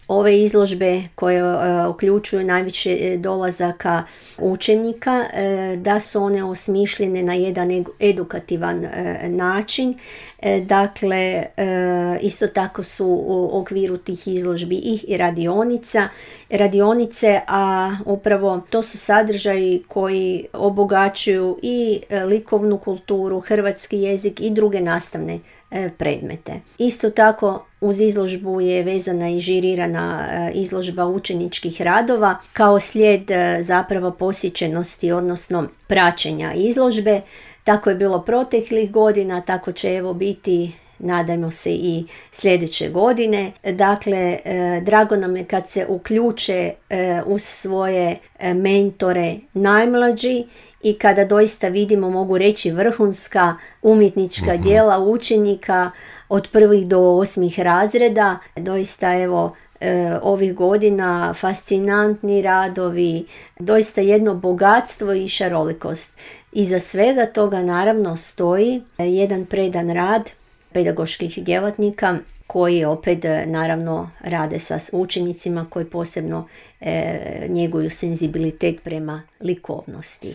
ove izložbe koje uključuju najviše dolazaka učenika, da su one osmišljene na jedan edukativan način. Dakle, isto tako su u okviru tih izložbi i radionice, a upravo to su sadržaji koji obogaćuju i likovnu kulturu, hrvatski jezik i druge nastavne predmete. Isto tako uz izložbu je vezana i žirirana izložba učeničkih radova kao slijed zapravo posjećenosti, odnosno praćenja izložbe. Tako je bilo proteklih godina, tako će evo biti, nadajmo se, i sljedeće godine. Dakle, drago nam je kad se uključe uz svoje mentore najmlađi i kada doista vidimo, mogu reći, vrhunska umjetnička djela učenika od 1. do 8. razreda. Doista evo ovih godina fascinantni radovi, doista jedno bogatstvo i šarolikost. Iza svega toga naravno stoji jedan predan rad pedagoških djelatnika koji opet naravno rade sa učenicima koji posebno njeguju senzibilitet prema likovnosti.